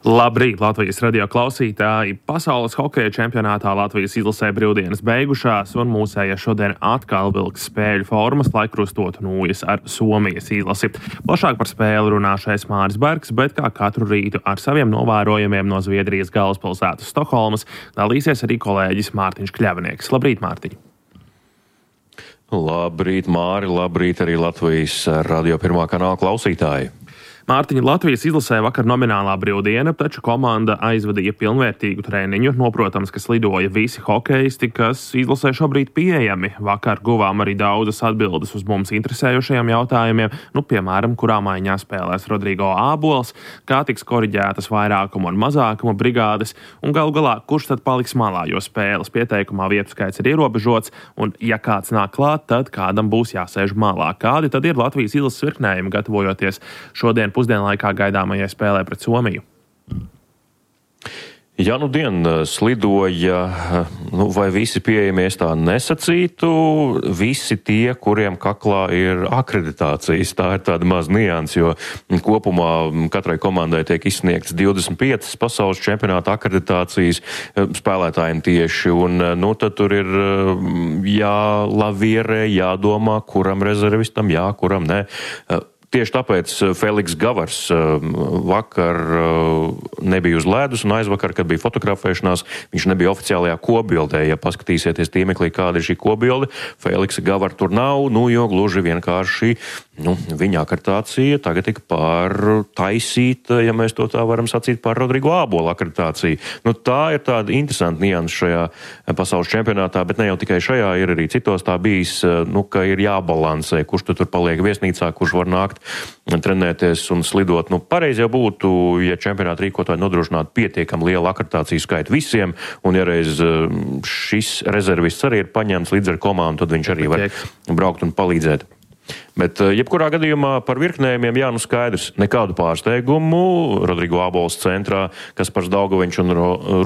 Labrīt, Latvijas radio klausītāji! Pasaules hokeja čempionātā Latvijas izlasē brīvdienas beigušās, un mūsējie šodien atkal vilks spēļu formas, lai krustotu nūjas ar Somijas izlasi. Plašāk par spēli runāšais Māris Bergs, bet kā katru rītu ar saviem novērojumiem no Zviedrijas galvaspilsētas Stokholmas dalīsies arī kolēģis Mārtiņš Kļavnieks. Labrīt, Mārtiņ! Labrīt, Māri! Labrīt arī Latvijas radio pirmā kanāla klausītāji! Mārtiņa, Latvijas izlasē vakar nominālā brīvdiena, taču komanda aizvadīja pilnvērtīgu treniņu. Protams, ka slidoja visi hokeisti, kas izlasē šobrīd pieejami. Vakar guvām arī daudzas atbildes uz mums interesējošajiem jautājumiem, piemēram, kurā maiņā spēlēs Rodrigo Ābols, kā tiks koriģētas vairākuma un mazākuma brigādes, un galu galā, kurš tad paliks malā, jo spēles pieteikumā vietu skaits ir ierobežots, un ja kāds nāk klāt, tad kādam būs jāsēž malā. Kādi tad ir Latvijas izlases virknējumi, gatavojoties šodien pusdienlaikā gaidāmajai spēlē pret Somiju? Ja slidoja, vai visi pieejamie, es tā nesacītu, visi tie, kuriem kaklā ir akreditācijas, tā ir tāda maz nianses, jo kopumā katrai komandai tiek izsniegts 25 pasaules čempionāta akreditācijas spēlētājiem tieši, un tad tur ir jālavierē, jādomā, kuram rezervistam jā, kuram nē. Tieši tāpēc Feliks Gavars vakar nebija uz ledus, un aizvakar, kad bija fotografēšanās, viņš nebija oficiālajā kopbildē. Ja paskatīsieties tīmeklī, kāda ir šī kopbilde, Feliksa Gavara tur nav, jo gluži vienkārši viņa akreditācija tagad tika pārtaisīta, ja mēs to tā varam sacīt, par Rodrigo Ābola akreditāciju. Tā ir tāda interesanta nianse šajā pasaules čempionātā, bet ne jau tikai šajā, ir arī citos tā bijis, ka ir jābalansē, kurš tur paliek viesnīcā, kurš var nākt trenēties un slidot. Pareizi jau būtu, ja čempionāta rīkotāji nodrošinātu pietiekami lielu akreditāciju skaitu visiem, un ja reiz šis rezervists arī ir paņemts līdz ar komandu, tad viņš arī var braukt un palīdzēt. Bet jebkurā gadījumā par virknējumiem skaidrs, nekādu pārsteigumu. Rodrigo Ābols centrā, Kaspars Daugaviņš un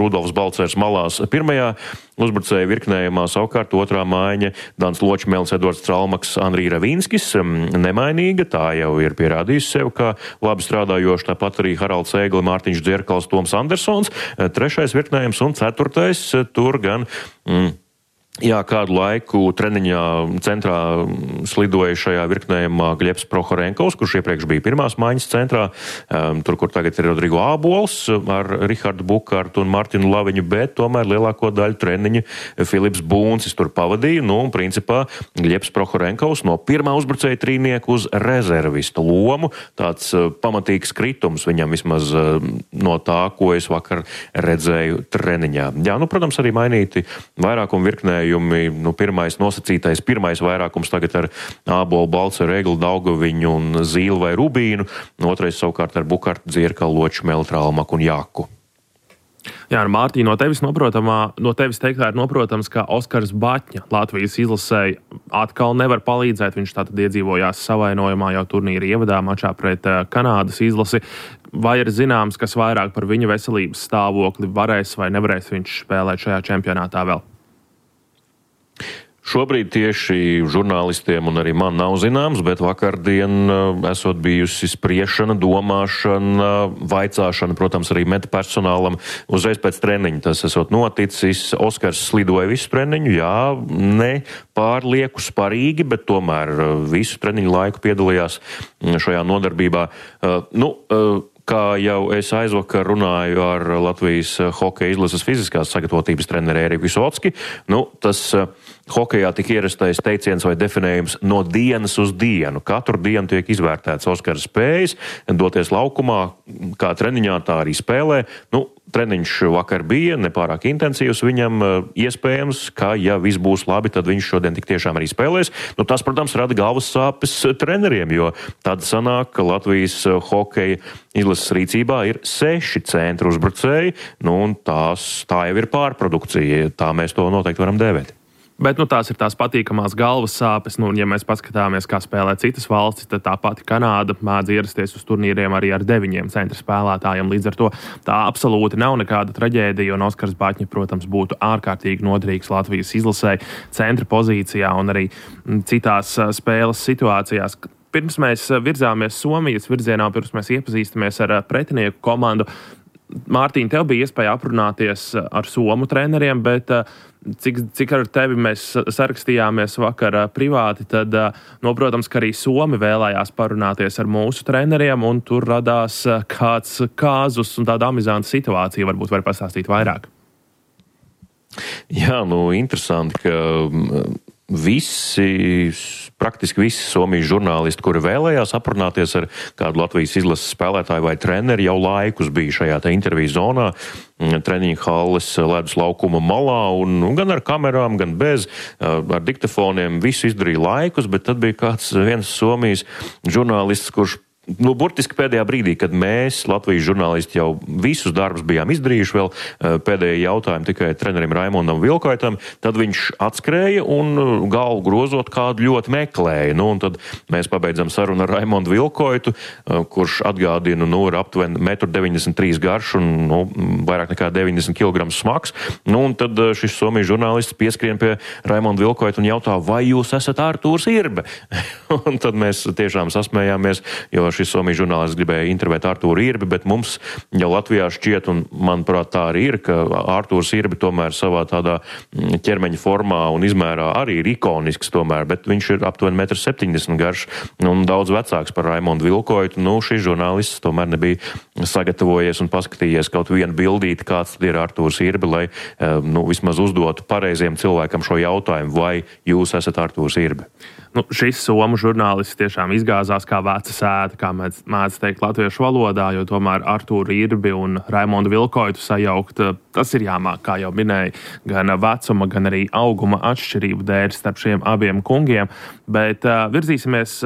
Rudolfs Balcers malās pirmajā uzbrucēja virknējumā, savukārt otrā maiņa Dans Ločmēls, Edvards Tralmaks, Andrij Ravīnskis nemainīga, tā jau ir pierādījusi sev, kā labi strādājoši, tāpat arī Haralds Ēgli, Mārtiņš Dzierkals, Toms Andersons, trešais virknējums un ceturtais tur gan kādu laiku treniņā centrā slidoja šajā virknējumā Gļebs Prohorenkovs, kurš iepriekš bija pirmās maiņas centrā, tur, kur tagad ir Rodrigo Ābols ar Rihardu Bukārtu un Martinu Laviņu, bet tomēr lielāko daļu treniņu Filips Būncis tur pavadīja. Principā Gļebs Prohorenkovs no pirmā uzbrucēja trīnieku uz rezervistu lomu. Tāds pamatīgs kritums viņam vismaz no tā, ko es vakar redzēju treniņā. Protams, arī mainīti vairākumu virknējumu. Pirmais nosacītais, pirmais vairākums tagad ar Ābolu, Balceru, Ēgli, Daugaviņu un Zīli vai Rubīnu, otrais savukārt ar Bukartu, Dzierkalu, Ločmeli, Tralmaku un Jaku. Mārtiņ, no tevis teiktā ir noprotams, ka Oskars Baķņa Latvijas izlasēji atkal nevar palīdzēt. Viņš tātad iedzīvojās savainojumā jau turnīra ievadā mačā pret Kanādas izlasi. Vai ir zināms, kas vairāk par viņa veselības stāvokli, varēs vai nevarēs viņš spēlēt šajā čempionātā vēl? Šobrīd tieši žurnālistiem un arī man nav zināms, bet vakardien esot bijusi spriešana, domāšana, vaicāšana, protams, arī meta personālam uzreiz pēc treniņa. Tas esot noticis. Oskars slidoja visu treniņu, ne pārlieku sparīgi, bet tomēr visu treniņu laiku piedalījās šajā nodarbībā. Kā jau es aizvakar runāju ar Latvijas hokeja izlases fiziskās sagatavotības treneri Eriku Visocki, tas hokejā tik ierastais teiciens vai definējums no dienas uz dienu. Katru dienu tiek izvērtēts Oskara spējas, doties laukumā, kā treniņā, tā arī spēlē. Treniņš vakar bija nepārāk intensīvs viņam, iespējams, ka ja viss būs labi, tad viņš šodien tik tiešām arī spēlēs. Tas, protams, rada galvas sāpes treneriem, jo tad sanāk, ka Latvijas hokeja izlases rīcībā ir 6 centru uzbrucēji, un tā jau ir pārprodukcija, tā mēs to noteikti varam dēvēt. Bet tās ir tās patīkamās galvas sāpes. Ja mēs paskatāmies, kā spēlē citas valstis, tad tā pati Kanāda mēdz ierasties uz turnīriem arī ar 9 centra spēlētājiem. Līdz ar to tā absolūti nav nekāda traģēdija, un Oskars Baķņa, protams, būtu ārkārtīgi noderīgs Latvijas izlasē centra pozīcijā un arī citās spēles situācijās. Pirms mēs virzāmies Somijas virzienā, pirms mēs iepazīstamies ar pretinieku komandu, Mārtiņ, tev bija iespēja aprunāties ar somu treneriem, bet cik ar tevi mēs sarakstījāmies vakar privāti, tad, protams, ka arī somi vēlējās parunāties ar mūsu treneriem, un tur radās kāds kāzus un tāda amizanta situācija. Varbūt var pastāstīt vairāk. Jā, interesanti, ka praktiski visi Somijas žurnālisti, kuri vēlējās aprunāties ar kādu Latvijas izlases spēlētāju vai treneri, jau laikus bija šajā interviju zonā, treniņa halles ledus laukuma malā, un gan ar kamerām, gan bez, ar diktafoniem, visu izdarīja laikus, bet tad bija viens Somijas žurnālists, kurš burtiski pēdējā brīdī, kad mēs, Latvijas žurnālisti, jau visus darbus bijām izdarījuši, vēl pēdējie jautājumi tikai trenerim Raimondam Vilkoitam, tad viņš atskrēja un galvu grozot kādu ļoti meklēja. Un tad mēs pabeidzam sarunu ar Raimondu Vilkoitu, kurš atgādina, ir aptuveni 1,93 m garš un vairāk nekā 90 kg smags. Un tad šis Somijas žurnālists pieskrien pie Raimonda Vilkoita un jautā, vai jūs esat Artūrs Irbe? Un tad mēs tiešām sasmējāmies, jo šis Somijas žurnālists gribēja intervēt Artūru Irbi, bet mums jau Latvijā šķiet, un manuprāt tā arī ir, ka Artūrs Irbi tomēr savā tādā ķermeņa formā un izmērā arī ir ikonisks tomēr, bet viņš ir aptuveni 1,70 m garš un daudz vecāks par Raimondu Vilkoitu. Šis žurnālists tomēr nebija sagatavojies un paskatījies kaut vienu bildīti, kāds ir Artūrs Irbi, lai vismaz uzdotu pareiziem cilvēkam šo jautājumu, vai jūs esat Artūrs Irbi. Šis somu žurnālists tiešām izgāzās kā veca sēta, kā mēdz teikt latviešu valodā, jo tomēr Artūru Irbi un Raimondu Vilkoitu sajaukt, tas ir jāmāk, kā jau minēja, gan vecuma, gan arī auguma atšķirību dēļ starp šiem abiem kungiem, bet virzīsimies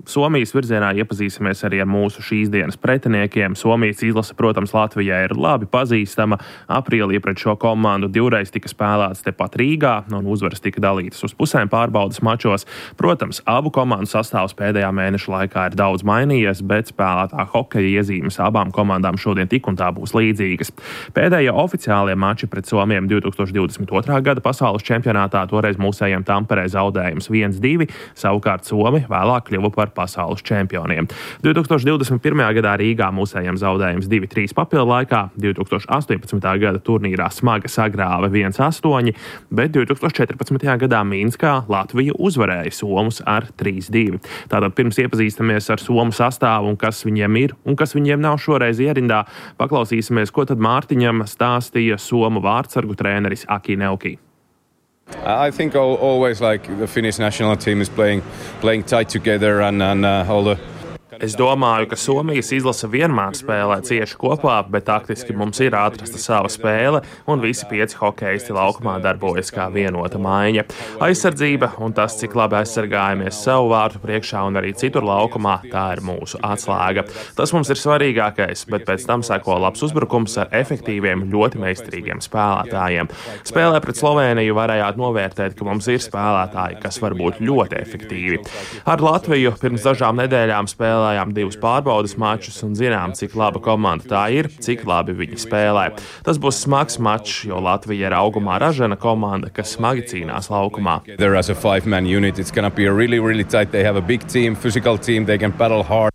Somijas virzienā, iepazīsimies arī ar mūsu šīs dienas pretiniekiem. Somijas izlase, protams, Latvijai ir labi pazīstama. Aprīlī pret šo komandu divreiz tika spēlēts tepat Rīgā, un uzvaras tika dalītas uz pusēm pārbaudas mačos. Protams, abu komandu sastāvs pēdējā mēneša laikā ir daudz mainījies, bet spēlētā hokeja iezīmes abām komandām šodien tik un tā būs līdzīgas. Pēdējie oficiālie mači pret Somiem 2022. gada pasaules čempionātā toreiz mūsējiem Tamperē zaudējums 1-2, savukārt Somi vēlāk kļuva par pasaules čempioniem. 2021. gadā Rīgā mūsējiem zaudējums 2-3 papildu laikā, 2018. gada turnīrā smagi sagrāva 1-8, bet 2014. gadā Minskā Latvija uzvarēja Somus ar 3-2. Tātad pirms iepazīstamies ar Somu sastāvu un kas viņiem ir un kas viņiem nav šoreiz ierindā, paklausīsimies, ko tad Mārtiņam stāstīja Somu vārdsargu treneris Aki Neuki. I think always like the Finnish national team is playing tight together and all the Es domāju, ka Somijas izlase vienmēr spēlē cieši kopā, bet taktiski mums ir atrasta sava spēle, un visi 5 hokeisti laukumā darbojas kā vienota maiņa. Aizsardzība un tas, cik labi aizsargājamies savu vārtu priekšā un arī citur laukumā, tā ir mūsu atslēga. Tas mums ir svarīgākais, bet pēc tam seko labs uzbrukums ar efektīviem, ļoti meistarīgiem spēlētājiem. Spēlē pret Slovēniju varējāt novērtēt, ka mums ir spēlētāji, kas var būt ļoti efektīvi. Ar Latviju pirms dažām nedēļām spēlējām 2 pārbaudas mačus un zinām, cik laba komanda tā ir, cik labi viņi spēlē. Tas būs smags mačs, jo Latvija ir augumā ražana komanda, kas smagi cīnās laukumā. There as a 5-man unit, it's going to be a really tight. They have a big team, physical team, they can battle hard.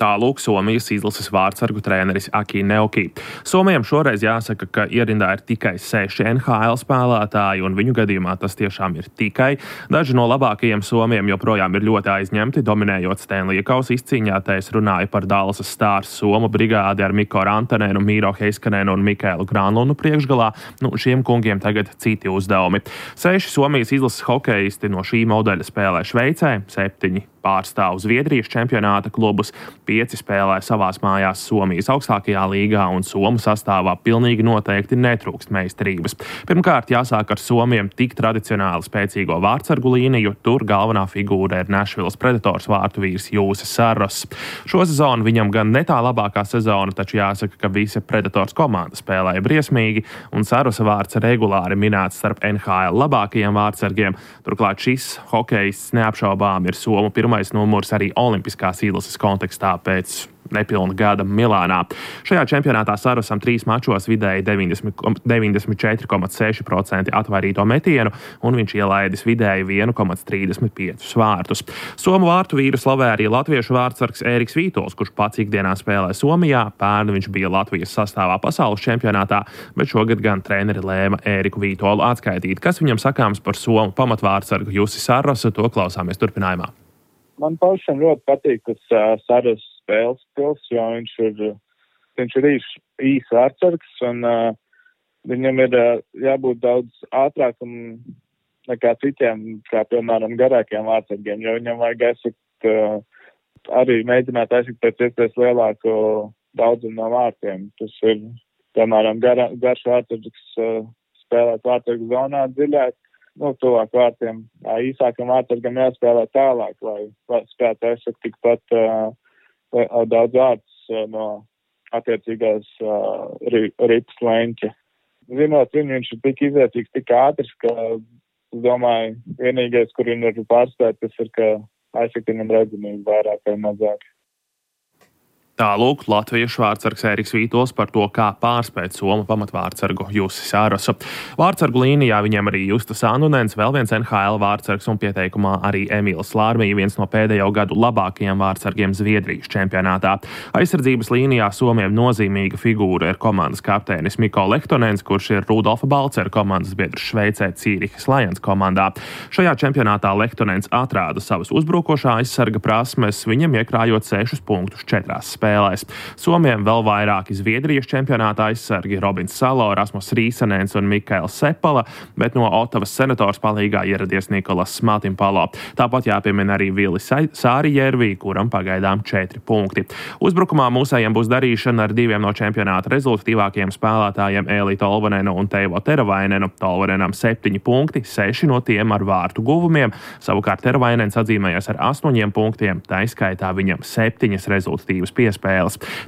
Tālūk Somijas izlases vārdsargu treneris Aki Neuki. Somijam šoreiz jāsaka, ka ierindā ir tikai 6 NHL spēlētāji, un viņu gadījumā tas tiešām ir tikai. Daži no labākajiem Somijiem joprojām ir ļoti aizņemti, dominējot Stanleya kausa izcīņā. Te es runāju par Dallasas Stars Somu brigādi ar Mikko Rantanenu, Mīro Heiskanenu un Mikēlu Granlunu priekšgalā. Šiem kungiem tagad citi uzdevumi. 6 Somijas izlases hokeisti no šī modeļa spēlē Šveicē, 7 pārstāv Zviedrijas čempionāta klubus, 5 spēlē savās mājās Somijas augstākajā līgā, un Somu sastāvā pilnīgi noteikti netrūkst meistarības. Pirmkārt, jāsāk ar Somiem tik tradicionāli spēcīgo vārdsargu līniju, tur galvenā figūra ir Nashvilles Predators vārtu vīrs Jūsis Saros. Šo sezonu viņam gan ne tā labākā sezona, taču jāsaka, ka visa Predators komanda spēlēja briesmīgi, un Sarosa vārds regulāri minēts starp NHL labākajiem vārdsargiem. Turklāt šis hokejists neapšaubām ir Somu pirmais numurs arī olimpiskās izlases kontekstā. pēc nepilna gada Milānā. Šajā čempionātā Sarosam 3 mačos vidēji 94,6% atvairīto metienu, un viņš ielaidis vidēji 1,35 vārtus. Somu vārtu vīru slavē arī latviešu vārtsargs Ēriks Vītols, kurš pats ikdienā spēlē Somijā. Pērn viņš bija Latvijas sastāvā pasaules čempionātā, bet šogad gan treneri lēma Ēriku Vītolu atskaitīt. Kas viņam sakāms par somu pamatvārtsargu Jussi Sarosu, to klausāmies turpinājumā. Man pašam ļoti patīk tas Saros spēles stils, jo viņš ir īs vārtsargs, un viņam ir jābūt daudz ātrākam nekā citiem, kā piemēram garākiem vārtsargiem, jo viņam vajag arī mēģināt aizsakt pēc iespējas lielāku daudzumu no vārtiem. Tas ir, piemēram, garš vārtsargs spēlēt vārtsargu zonā dziļāk, tuvāk vārtiem. Īsākam vārtsargam jāspēlē tālāk, lai spētu aizsakt tikpat daudz vārtus no attiecīgās ripas leņķa. Zinot viņu, viņš ir tik izvērtīgs, tik ātrs, ka es domāju, vienīgais, kur viņu var pārspēt, tas ir, ka aizsakt viņam redzamību vairāk vai mazāk. Tālūk, latviešu vārtsargs Ēriks Vītols par to, kā pārspēt somu pamatvārtsargu Jussi Sarosu. Vārtsargu līnijā viņam arī Justas Annunens, vēl viens NHL vārtsargs un pieteikumā arī Emīls Lārmija, viens no pēdējo gadu labākajiem vārtsargiem Zviedrijas čempionātā. Aizsardzības līnijā Somiem nozīmīga figūra ir komandas kapteinis Mikko Lehtonens, kurš ir Rudolfa Balcera komandas biedrs Šveicē Cīrihas Lions komandā. Šajā čempionātā Lehtonens atrāda savas uzbrukošā aizsarga prasmes, viņam iekrājot 6 punktus 4 spēlēs. Somiem vēl vairāki Zviedrijas čempionāta aizsargi Robins Salo, Rasmus Rīsanens un Mikaels Sepala, bet no Otavas Senators palīgā ieradies Nikolas Smaltimpalo. Tāpat jāpiemina arī Vilis Sārijērvī, kuram pagaidām 4 punkti. Uzbrukumā mūsējiem būs darīšana ar 2 no čempionāta rezultatīvākajiem spēlētājiem Eli Tolvanenu un Teivo Teravainenu. Tolvanenam 7 punkti, 6 no tiem ar vārtu guvumiem, savukārt Teravainens atzīmējies ar 8 punktiem, taiskaitā viņam 7 rezultatīvas piespēles.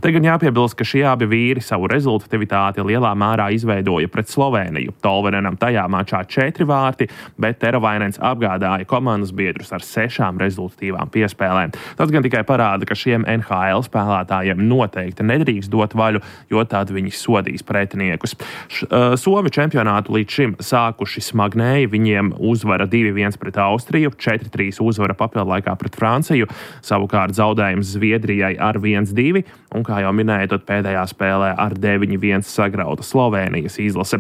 Te gan jāpiebilst, ka šie abi vīri savu rezultatīvitāti lielā mērā izveidoja pret Slovēniju. Tolvanenam tajā mačā 4 vārti, bet Teravainens apgādāja komandas biedrus ar 6 rezultatīvām piespēlēm. Tas gan tikai parāda, ka šiem NHL spēlētājiem noteikti nedrīkst dot vaļu, jo tad viņi sodīs pretiniekus. Somi čempionātu līdz šim sākuši smagnēji, viņiem uzvara 2-1 pret Austriju, 4-3 uzvara papildlaikā pret Franciju, savukārt zaudējums Zviedrijai ar 1-2, un, kā jau minēju, tad pēdējā spēlē ar 9-1 sagrauta Slovēnijas izlase.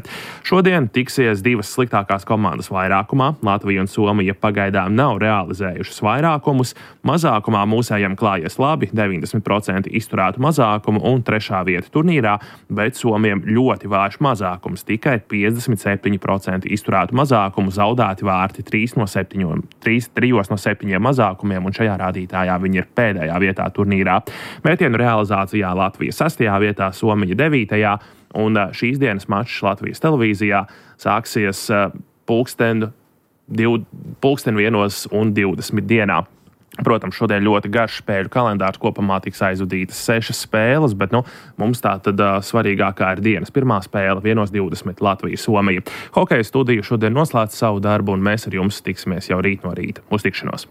Šodien tiksies 2 sliktākās komandas vairākumā. Latvija un Somija pagaidām nav realizējušas vairākumus. Mazākumā mūsējiem klājies labi, 90% izturētu mazākumu un 3. vieta turnīrā, bet Somiem ļoti vājš mazākums, tikai 57% izturētu mazākumu, zaudēti vārti 3 no 7 mazākumiem, un šajā rādītājā viņi ir pēdējā vietā turnīrā. Metienu realizācijā Latvija 6. vietā, Somija 9. un šīs dienas mačs Latvijas televīzijā sāksies pulksten 1:20 dienā. Protams, šodien ļoti garš spēļu kalendārs, kopumā tiks aizvadītas 6 spēles, bet mums tā tad svarīgākā ir dienas pirmā spēle 1:20 Latvija-Somija. Hokeja studija šodien noslēdz savu darbu, un mēs ar jums tiksimies jau rīt no rīta. Uz tikšanos!